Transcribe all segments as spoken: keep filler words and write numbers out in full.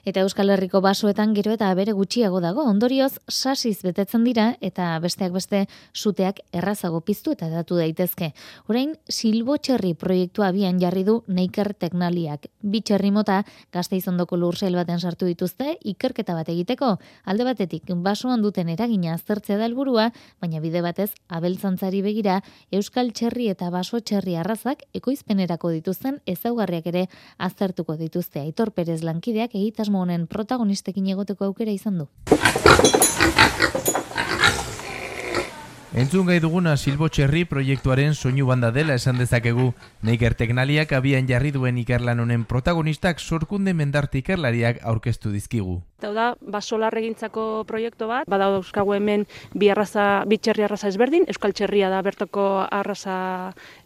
Eta Euskal Herriko basoetan gero eta abere gutxiago dago, ondorioz sasiz betetzen dira eta besteak beste suteak errazago piztu eta datu daitezke. Orain Silbotxerri proiektua abian jarri du Neiker Teknaliak. Bi txerri mota Gasteiz ondoko lursail baten sartu dituzte ikerketa bat egiteko. Alde batetik basoan duten eragina aztertzea da helburua, baina bide batez abeltzantzari begira euskal txerri eta baso txerri arrazak ekoizpenerako dituzten ezaugarriak ere aztertuko dituzte. Aitor Perez lankideak egitasmo honen protagonistekin egoteko aukera izan du. Entzun gai duguna Silbotxerri proiektuaren soinu banda dela esan dezakegu. Neiker Teknaliak abian jarri duen ikerlan honen protagonistak Sorkunde Mendarte ikerlariak aurkeztu dizkigu. Hau da, basolarregintzako proiektu bat, bada dauzkagu hemen bi arraza, bi txerri arraza ezberdin, euskal txerria da bertoko arraza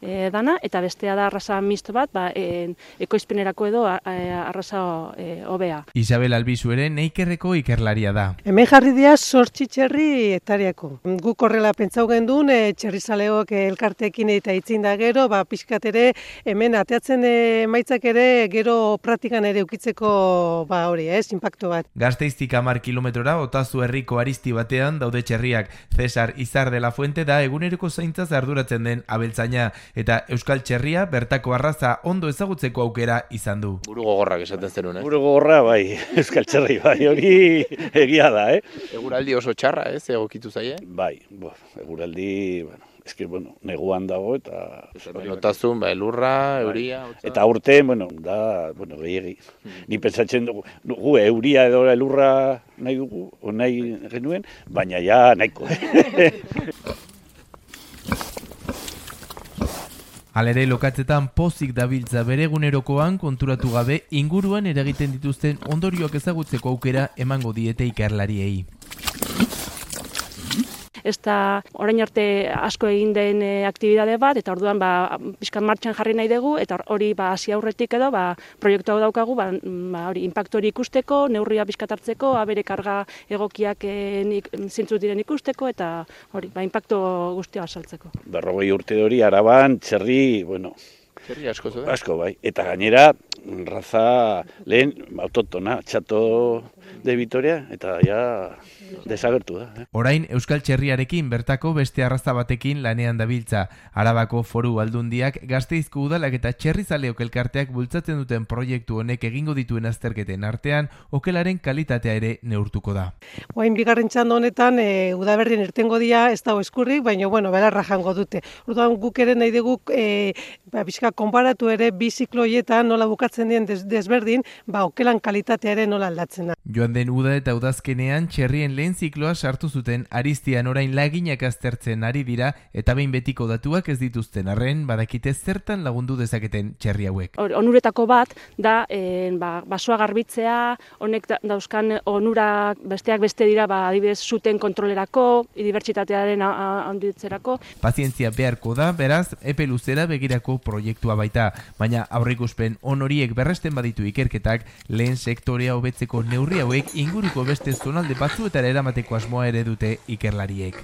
e, dana, eta bestea da arraza misto bat, ba, e, ekoizpenerako edo e, arraza e, hobea. Isabel Albizu ere Neikerreko ikerlaria da. Hemen jarri dira zortzi txerri hektariako. Guk horrela pentsau gendun, e, txerrizaleok elkarteekin eta itzin da gero, ba, pixkat ere hemen ateatzen emaitzak ere gero praktikan ere ukitzeko ba, hori, ez, impacto bat. Gasteiztik hamar kilometrora Otazu herriko aristi batean daude txerriak. Cesar Izar de la Fuente da eguneroko zaintzaz arduratzen den abeltzaina eta euskal txerria bertako arraza ondo ezagutzeko aukera izan du. Buru gogorrak esaten zenun, eh? Buru gogorra bai, euskal txerri bai, hori egia da, eh? Eguraldi oso txarra, ez, egokitu zaie? Bai, bo, eguraldi, bueno, eski, bueno, neguan dago eta... Notazun, ba, elurra, euria... Otza. Eta urte, bueno, da, bueno, gehiagi. Hmm. Ni pentsatzen dugu, gu, euria edo elurra nahi dugu, o nahi genuen, baina ja nahiko. Halere lokatzetan pozik dabiltza bere egunerokoan konturatu gabe inguruan eragiten dituzten ondorioak ezagutzeko aukera emango diete ikerlariei. Ez da orain arte asko egin den e, aktibitate bat, eta orduan ba, pixkan martxan jarri nahi dugu, eta hori ba, hasi aurretik edo ba, proiektu hau daukagu, ba, ba, hori inpaktu hori ikusteko, neurria pixkat hartzeko, abere karga egokiak e, nik, zintzut diren ikusteko, eta hori, ba, inpaktu guztia azaltzeko. Berrogei urte hori Araban txerri, bueno, txerri asko zuen? Asko bai, eta gainera raza lehen autotona, txato de Vitoria, eta ja desagertu da. Eh? Orain euskal txerriarekin bertako beste arraza batekin lanean dabiltza. Arabako Foru Aldundiak Gasteizko udalak eta txerrizaleok elkarteak bultzatzen duten proiektu honek egingo dituen azterketen artean okelaren kalitatea ere neurtuko da. Oain bigarren txanda honetan e, udaberrien irtengo dira ez dago eskurrik, baina bueno, belarra jango dute. Orduan guk ere nahi dugu e, ba, bizka konparatu ere bi ziklo horietan nola bukatzen dien des, desberdin, ba okelan kalitatea ere nola aldatzen da. Joan den uda eta udazkenean txerrien lehen zikloa sartu zuten Aristian orain laginak aztertzen ari dira eta behin betiko datuak ez dituzten arren badakite zertan lagundu dezaketen txerri hauek. Onuretako bat da e, ba, basoa garbitzea, honek da, dauzkan onurak besteak beste dira ba, adibidez zuten kontrolerako, dibertsitatearen handitzerako. Pazientzia beharko da, beraz, epe luzera begirako proiektua baita, baina aurreikuspen on horiek berresten baditu ikerketak lehen sektorea hobetzeko neurri hauek inguruko beste zonalde batzuetara eramateko asmoa ere dute ikerlariek.